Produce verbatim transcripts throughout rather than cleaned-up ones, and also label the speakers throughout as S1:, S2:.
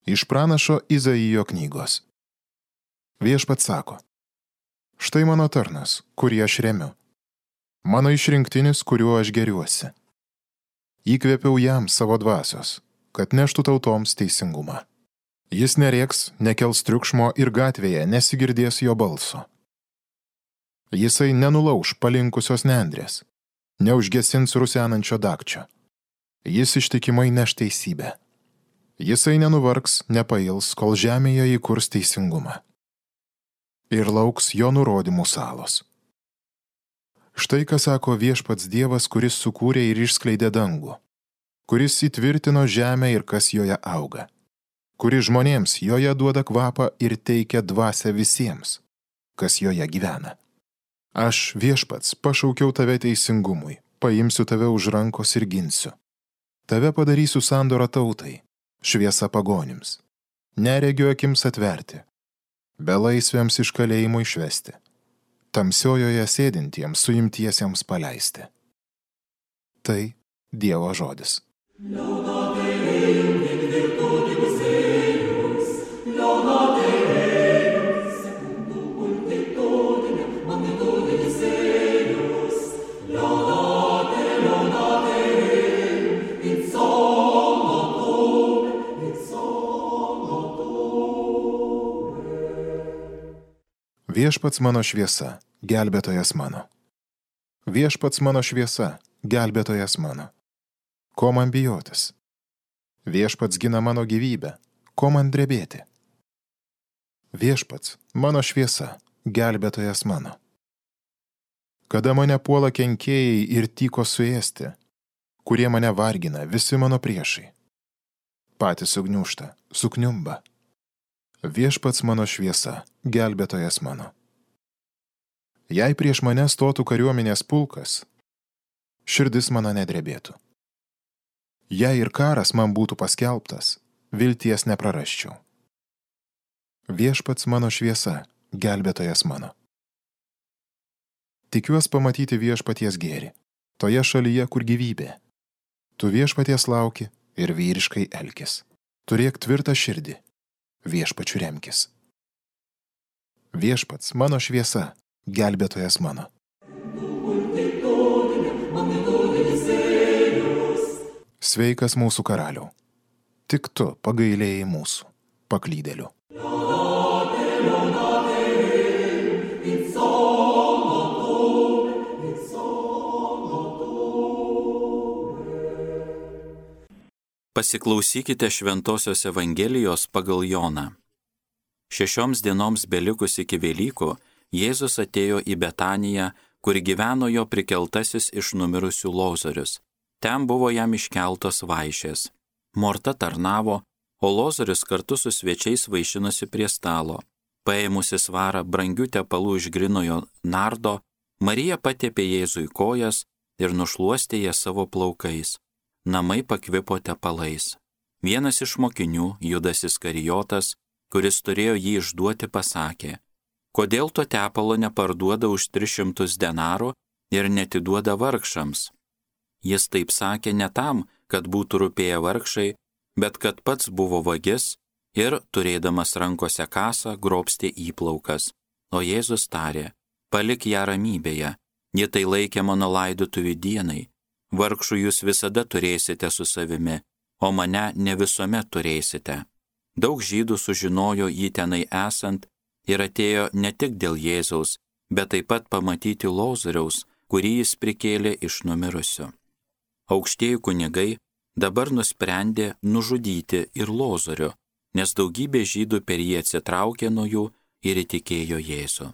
S1: Iš pranašo Izaijo knygos. Viešpats sako: štai mano tarnas, kurį aš remiu, mano išrinktinis, kuriuo aš geriuosi. Įkvėpiau jam savo dvasios, kad neštų tautoms teisingumą. Jis nerėks, nekels triukšmo ir gatvėje nesigirdės jo balso. Jisai nenulauš palinkusios nendrės, neužgesins rusenančio dagčio. Jis ištikimai neš teisybę. Jisai nenuvargs, nepails, kol žemėje įkurs teisingumą. Ir lauks jo nurodymų salos. Štai ką sako Viešpats Dievas, kuris sukūrė ir išskleidė dangų, kuris įtvirtino žemę ir kas joje auga, kuris žmonėms joje duoda kvapą ir teikia dvasią visiems, kas joje gyvena. Aš, Viešpats, pašaukiau tave teisingumui, paimsiu tave už rankos ir ginsiu. Tave padarysiu sandorą tautai, šviesa pagonims, neregio akims atverti, belaisviams iš kalėjimo išvesti, tamsiojoje sėdintiems suimtiesiems paleisti. Tai Dievo žodis. Viešpats mano šviesa, gelbėtojas mano. Viešpats mano šviesa, gelbėtojas mano. Ko man bijotis? Viešpats gina mano gyvybę, ko man drebėti? Viešpats mano šviesa, gelbėtojas mano. Kada mane puola kenkėjai ir tyko suėsti, kurie mane vargina, visi mano priešai. Patys sugniūžta, sukniumba. Viešpats mano šviesa, gelbėtojas mano. Jei prieš mane stotų kariuomenės pulkas, širdis mano nedrebėtų. Jei ir karas man būtų paskelbtas, vilties neprarasčiau. Viešpats mano šviesa, gelbėtojas mano. Tikiuos pamatyti viešpaties gėrį, toje šalyje, kur gyvybė. Tu viešpaties lauki ir vyriškai elkis. Turėk tvirtą širdį. Viešpačiu remkis. Viešpats mano šviesa, gelbėtojas mano. Sveikas mūsų karaliau. Tik tu pagailėjai mūsų, paklydėlių.
S2: Pasiklausykite Šventosios Evangelijos pagal Joną. Šešioms dienoms belikus iki Velykų, Jėzus atėjo į Betaniją, kur gyveno jo prikeltasis iš numirusių Lozorius. Ten buvo jam iškeltos vaišės. Morta tarnavo, o Lozorius kartu su svečiais vaišinosi prie stalo. Paėmusi svarą brangių tepalų iš grynojo nardo, Marija patepė Jėzui kojas ir nušluostė jas savo plaukais. Namai pakvipo tepalais. Vienas iš mokinių, Judas Iskarijotas, kuris turėjo jį išduoti, pasakė: kodėl to tepalo neparduoda už tris šimtus denarų ir netiduoda vargšams? Jis taip sakė ne tam, kad būtų rūpėję vargšai, bet kad pats buvo vagis ir, turėdamas rankose kasą, grobstė įplaukas. O Jėzus tarė: palik ją ramybėje, ji tai laikė mano laidotuvių dienai. Vargšų jūs visada turėsite su savimi, o mane ne visuomet turėsite. Daug žydų sužinojo jį tenai esant ir atėjo ne tik dėl Jėzaus, bet taip pat pamatyti Lozoriaus, kurį jis prikėlė iš numirusių. Aukštieji kunigai dabar nusprendė nužudyti ir Lozorių, nes daugybė žydų per jį atsitraukė nuo jų ir įtikėjo Jėzų.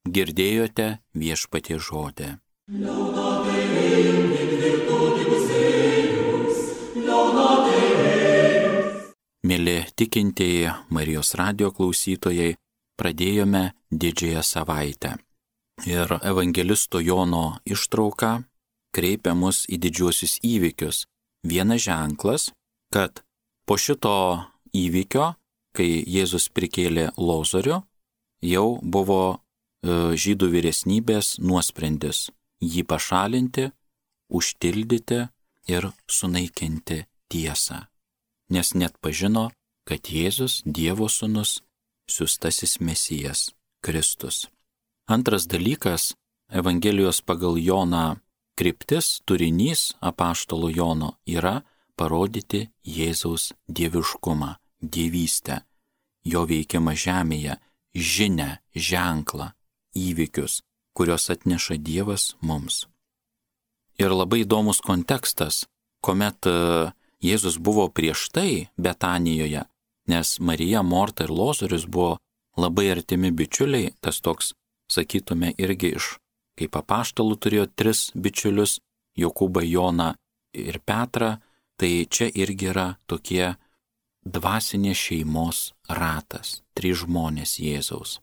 S2: Girdėjote Viešpaties žodį. Mėly tikintieji Marijos radijo klausytojai, pradėjome didžiąją savaitę. Ir evangelisto Jono ištrauka kreipia mus į didžiuosius įvykius. Vienas ženklas, kad po šito įvykio, kai Jėzus prikėlė Lozorių, jau buvo e, žydų vyresnybės nuosprendis jį pašalinti, užtildyti ir sunaikinti tiesą, nes net pažino kad Jėzus, Dievo sūnus, siųstasis Mesijas, Kristus. Antras dalykas – Evangelijos pagal Joną kryptis, turinys apaštalo Jono yra parodyti Jėzaus dieviškumą, dievystę, jo veikimą žemėje, žinią, ženklą, įvykius, kurios atneša Dievas mums. Ir labai įdomus kontekstas, kuomet Jėzus buvo prieš tai Betanijoje, nes Marija, Morta ir Lozorius buvo labai artimi bičiuliai, tas toks, sakytume, irgi iš, kaip apaštalų turėjo tris bičiulius, Jokūbą, Joną ir Petrą, tai čia irgi yra tokie dvasinės šeimos ratas, trys žmonės Jėzaus,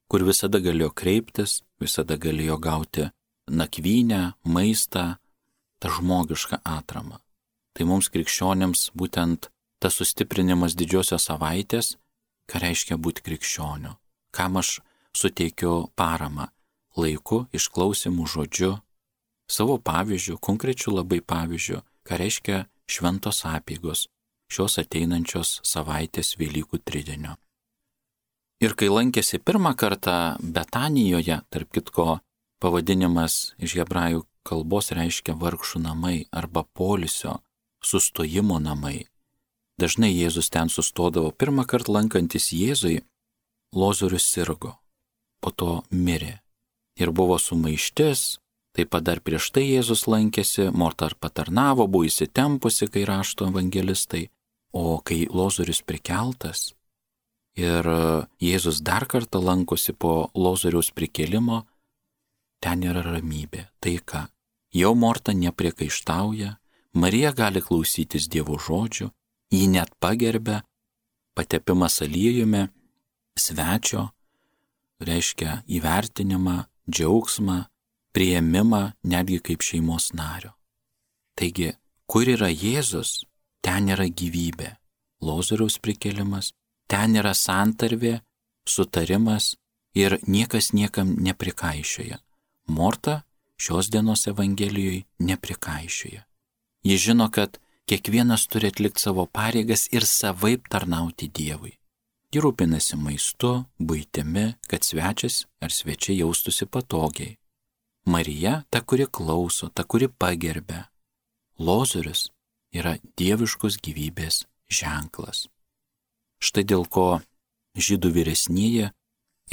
S2: kur visada galėjo kreiptis, visada galėjo gauti nakvynę, maistą, tą žmogišką atramą. Tai mums krikščionėms būtent tas sustiprinimas didžiosios savaitės, ką reiškia būti krikščioniu, kam aš suteikiu paramą, laiku, išklausimų žodžiu, savo pavyzdžių, konkrečių labai pavyzdžių, ką reiškia šventos apeigos šios ateinančios savaitės Velykų tridienio. Ir kai lankėsi pirmą kartą Betanijoje, tarp kitko pavadinimas iš hebrajų kalbos reiškia vargšų namai arba poilsio, sustojimo namai. Dažnai Jėzus ten sustodavo. Pirmą kartą lankantis Jėzui, Lozorius sirgo, po to mirė. Ir buvo sumaištis, taip pat dar prieš tai Jėzus lankėsi, Morta patarnavo, buvo įsitempusi, kai rašto evangelistai, o kai Lozorius prikeltas ir Jėzus dar kartą lankosi po Lozoriaus prikėlimo, ten yra ramybė, taika. Jau Morta nepriekaištauja, Marija gali klausytis Dievo žodžių, jį net pagerbia, patepimas aliejumi, svečio, reiškia įvertinimą, džiaugsmą, priėmimą netgi kaip šeimos nario. Taigi, kur yra Jėzus, ten yra gyvybė, Lozoriaus prikėlimas, ten yra santarvė, sutarimas ir niekas niekam neprikaišioja. Morta šios dienos Evangelijoje neprikaišioja. Ji žino, kad kiekvienas turi atlikti savo pareigas ir savaip tarnauti Dievui. Ji rūpinasi maistu, buitimi, kad svečias ar svečiai jaustųsi patogiai. Marija, ta, kuri klauso, ta, kuri pagerbia. Lozorius yra dieviškos gyvybės ženklas. Štai dėl ko žydų vyresnieji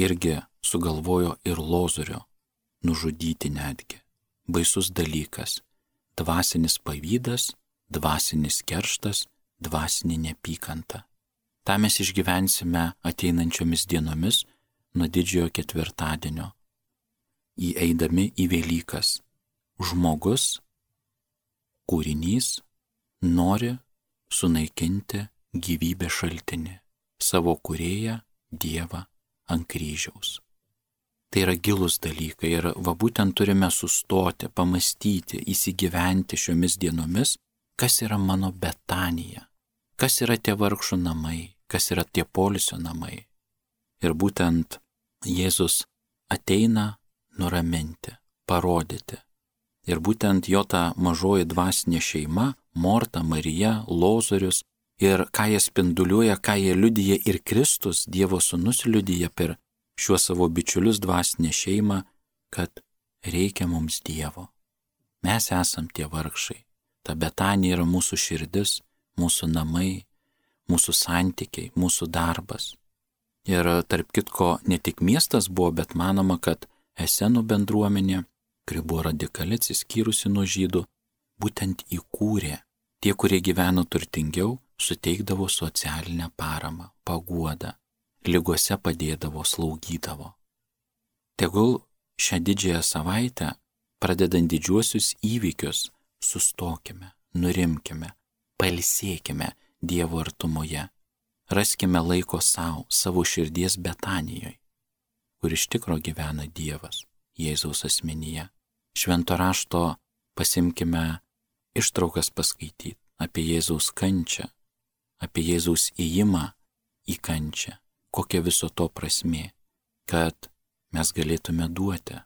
S2: irgi sugalvojo ir Lozorio nužudyti netgi. Baisus dalykas. Dvasinis pavydas, dvasinis kerštas, dvasinė neapykanta. Ta mes išgyvensime ateinančiomis dienomis nuo didžiojo ketvirtadienio, įeidami į Velykas. Žmogus, kūrinys, nori sunaikinti gyvybės šaltinį, savo kūrėją Dievą ant kryžiaus. Tai yra gilūs dalykai ir va būtent turime sustoti, pamastyti, įsigyventi šiomis dienomis, kas yra mano Betanija, kas yra tie vargšų namai, kas yra tie poilsio namai. Ir būtent Jėzus ateina nuraminti, parodyti. Ir būtent jo ta mažoji dvasinė šeima, Morta, Marija, Lozorius, ir ką jie spinduliuoja, ką jie liudija ir Kristus, Dievo sūnus liudija per šiuos savo bičiulius dvasinę šeimą, kad reikia mums Dievo. Mes esam tie vargšai. Ta Betanija yra mūsų širdis, mūsų namai, mūsų santykiai, mūsų darbas. Ir tarp kitko ne tik miestas buvo, bet manoma, kad Esenų bendruomenė, kuri buvo radikali atsiskyrusi nuo žydų, būtent įkūrė. Tie, kurie gyveno turtingiau, suteikdavo socialinę paramą, paguodą, ligose padėdavo, slaugydavo. Tegul šią didžiąją savaitę, pradedant didžiuosius įvykius, sustokime, nurimkime, pailsėkime Dievo artumoje, raskime laiko savo, savo širdies Betanijoje, kur iš tikro gyvena Dievas, Jėzaus asmenyje. Švento rašto pasimkime ištraukas paskaityti apie Jėzaus kančią, apie Jėzaus įėjimą į kančią, kokia viso to prasmė, kad mes galėtume duoti,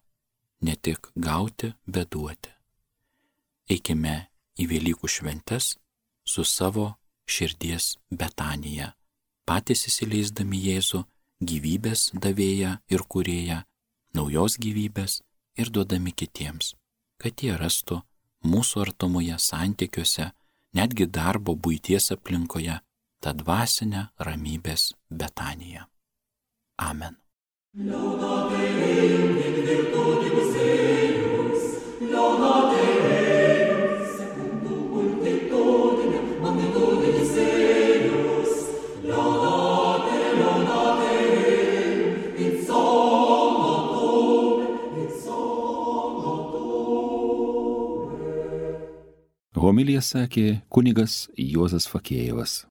S2: ne tik gauti, bet duoti. Eikime į Velykų šventes su savo širdies Betanija patys įsileisdami Jėzų, gyvybės davėją ir kūrėją, naujos gyvybės ir duodami kitiems, kad jie rastų mūsų artumoje santykiuose, netgi darbo buities aplinkoje, tą dvasinę ramybės Betaniją. Amen. Laudate Deum in virtutibus eius, laudate Deum secundum multitudinem magnitudinis eius, laudate, laudate Deum in somno tuum, in somno tuum.
S3: Homiliją sakė kunigas Juozas Fakėjevas.